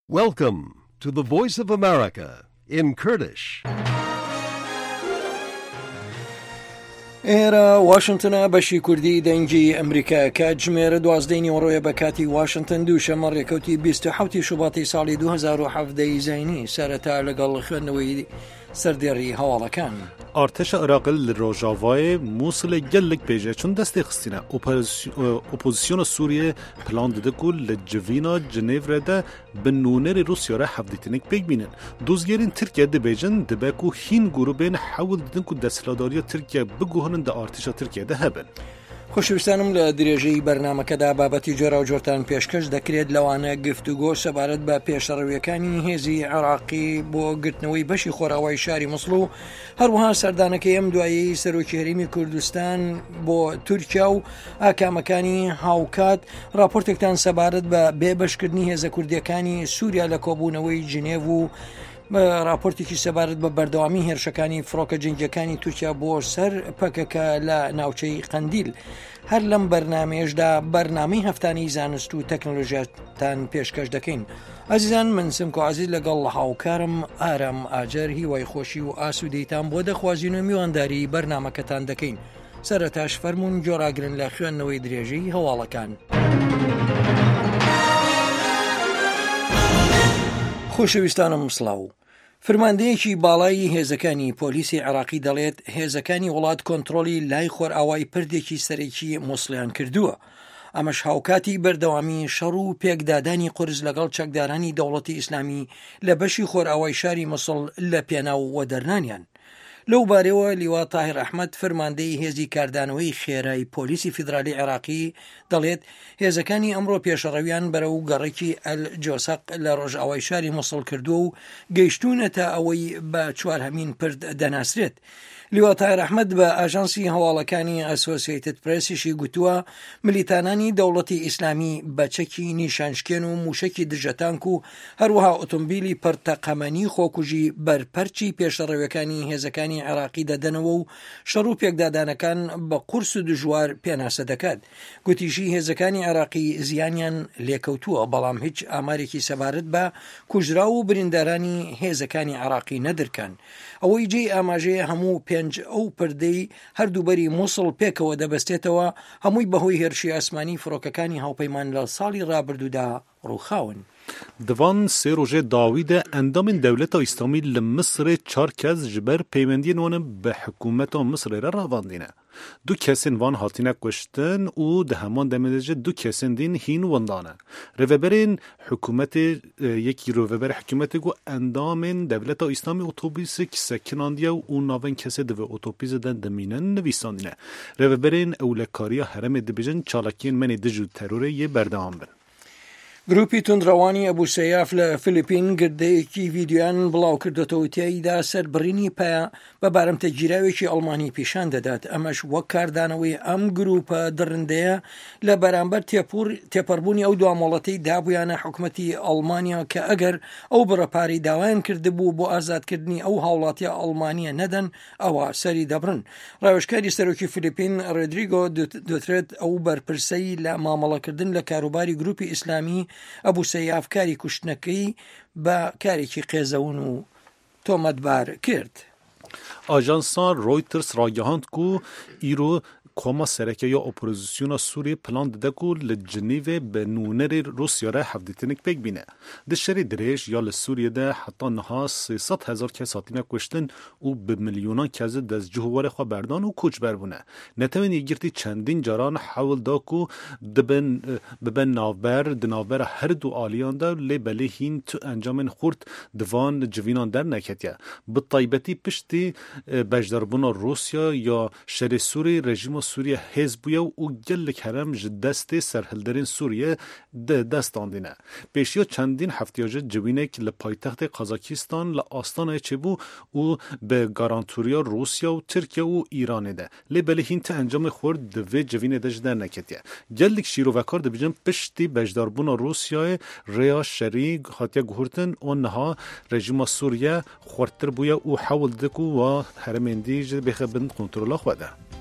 Welcome to the Voice of America in Kurdish. ئێرە واشنتنە بەشی کوردی دەنگی ئەمریکا کاتژمێر دوازدەی نیوەڕۆیە بە کاتی واشنتن دووشەمە ڕێکەوتی 27 شوباتی ساڵی 2017 زینی سەرەتا لەگەڵ خوێندنەوەی سەردێڕی هەواڵەکان. Artêşa Iraqê li rojavayê Mûsilê gelek pêje çûn destê xistîne. Opozisyona Sûriyê plan dide ku li civîna Cinêvre de bi nûnerê Rûsya re hevdîtinek pêk bînin. Dozgerên Tirkiye dibêjin dibe ku hîn grûbên hewl didin ku desthilatdariya Tirkiye biguhirin di artêşa Tirkiye de hebin. خۆشەویستانم لە درێژەی بەرنامەکەدا بابەتی جۆراوجۆرتان پێشکەش دەکرێت لەوانە گفتوگۆ سەبارەت بە پێشەڕەویەکانی هێزی عێراقی بۆ گرتنەوەی بەشی خۆراوای شاری موسڵ و هەروەها سەردانەکەی ئەم دوایی سەرۆکی هەرێمی کوردستان بۆ تورکیا و ئاکامەکانی هاوکات راپۆرتێکتان سەبارەت بە بێبەشکردنی هێزە کوردیەکانی سووریا لە کۆبوونەوەی جنێڤ و راپۆرتێکی سەبارەت بە بەردەوامی هێرشەکانی فڕۆکە جەنگیەکانی تورکیا بۆ سەر پەکەکە لە ناوچەی قەندیل. هەر لەم بەرنمەیەشدا بەرنامەی هەفتانی زانست و تەکنۆلۆژیاتان پێشکەش دەکەین. ئازیزان من سمکۆ عزیز لەگەڵ هاوکارم ئارام ئاجەر هیوای خۆشی و ئاسوودەیتان بۆ دەخوازین و میوانداری بەرنمەکەتان دەکەین. سەرەتاش فەرموون گۆڕاگرن لە خوێندنەوەی درێژەی هەواڵەکان. خۆشەویستانم سڵاو. فرماندەیەکی باڵای هێزەکانی پۆلیسی عێراقی دەڵێت هێزەکانی وڵات کۆنتترۆلی لای خۆرئاوای پردێکی سەرەکی موسڵیان کردووە. ئەمەش هاوکاتی بەردەوامی شەڕ و پێکدادانی قورس لەگەڵ چەکدارانی دەوڵەتی ئیسلامی لە بەشی خۆرئاوای شاری موسڵ لە پێناو وەدەرنانیان. لەو بارەوە لیوا تاهیر ئەحمەد فەرماندەی هێزی کاردانەوەی خێرای پۆلیسی فیدرالی عێراقی دەڵێت هێزەکانی ئەمڕۆ پێشەڕەویان بەرەو گەڕەکی ئەل جۆسەق لە ڕۆژئاوای شاری موسڵ کردووە و گەیشتوونەتە ئەوەی بە چوارهەمین پرد دەناسرێت. لیوا تاهیر ئەحمەد بە ئاژانسی هەواڵەکانی ئەسۆسیەیتد پرێسیشی گوتووە ملیتانانی دەوڵەتی ئیسلامی بە چەکی نیشانشکێن و موشەکی دژەتانک و هەروەها ئۆتۆمبیلی پڕ تەقەمەنی خۆکوژی بەرپەرچی پێشەڕەویەکانی هێزەکانی عێراقی دەدەنەوە و شەڕ و پێکدادانەکان بە قورس و دژوار پێناسە دەکات. گوتیشی هێزەکانی عێراقی زیانیان لێکەوتووە، بەڵام هیچ ئامارێکی سەبارەت بە کوژراو و بریندارانی هێزەکانی عێراقی نەدرکان. ئەوەی جێی ئاماژەیە هەموو پێنج ئەو پردەی هەردوو بەری موسڵ پێکەوە دەبەستێتەوە هەمووی بەهۆی هێرشی ئاسمانی فڕۆکەکانی هاوپەیمان لە ساڵی ڕابردوودا ڕووخاون. Di van sê rojê dawî de endamên Dewleta Îslamî li Misirê çar kes ji ber peywendiyên wan bi hikûmeta Misirê re ravandîne. Du kesên van hatine kuştin û di heman demê de jî du kesên din hîn winda ne. Rêveberên hikûmetê yekî rêveberê hikûmetê got endamên Dewleta Îslamî otobîsek sekinandiye û navên kesê di vê otobîsê de dimînin nivîsandîne. Rêveberên ewlekariya herêmê dibêjin çalakiyên me nê dij û terorê yê berdewam bin. گروپی توندڕەوانی ئەبو سەیاف لە فلیپین گردەیەکی ڤیدیۆیان بڵاوکردۆتەوە تیایدا سەربڕینی پایە بە بارمتە گیراوێکی ئەڵمانی پیشان دەدات ئەمەش وەک کاردانەوەی ئەم گروپە دڕندەیە لە بەرامبەر تێپوڕ تێپەڕبوونی ئەو دوامۆڵەتەی دابوویانە حکومەتی ئەڵمانیا کە ئەگەر ئەو بڕە پارەی داوایان کردبوو بۆ ئازادکردنی ئەو هاوڵاتیە ئەڵمانیە نەدەن ئەوا سەری دەبڕن. ڕاوێژکاری سەرۆکی فلیپین ڕێدریگۆ دوترێت ئەو بەرپرسەی لە مامەڵەکردن لە کاروباری گروپی ئیسلامی ئەبو سەیاف کاری کوشتنەکەی بە کارێکی قێزەون و تۆمەتبار کرد. ئاژانسا ڕۆیتەرز ڕاگەهاند ku îro koma sereke ya opozisyona Sûriyê plan dide ku li Cinîvê bi nûnerê Rûsya re hevdîtinek pêk bîne. Di şerê dirêj ya li Sûriyê de heta niha 300 hezar kes hatine kuştin û bi milyonan kes dest cih û warê xwe berdan û koçber bûne. Netewên Yekgirtî çendîn caran hewl da ku dibin bibe navber di navbera her du aliyan de lê belê hîn tu encamên xurt di van civînan derneketiye. Bi taybetî piştî beşdarbûna Rûsya ya şerê Sûrî rejîma Sûriye hêz bûye û gelek herem ji destê serhilderên Sûriye di dest andîne. Pêşiya çendîn heftiya ji civînek li paytextê Kazakistan li Astanayê çêbû û bi garantoriya Rûsya û Tirkiye û Îranê de. Lê belê hîn ti encamê xurt di vê civînê de ji derneketiye. Gelek şîrovekar dibêjin piştî beşdarbûna Rûsyayê rêya şerî hatiye guhertin û niha rejîma Sûriye xurttir bûye û hewl dide ku wa herêmên dî ji bêxe bin kontrola xwe de.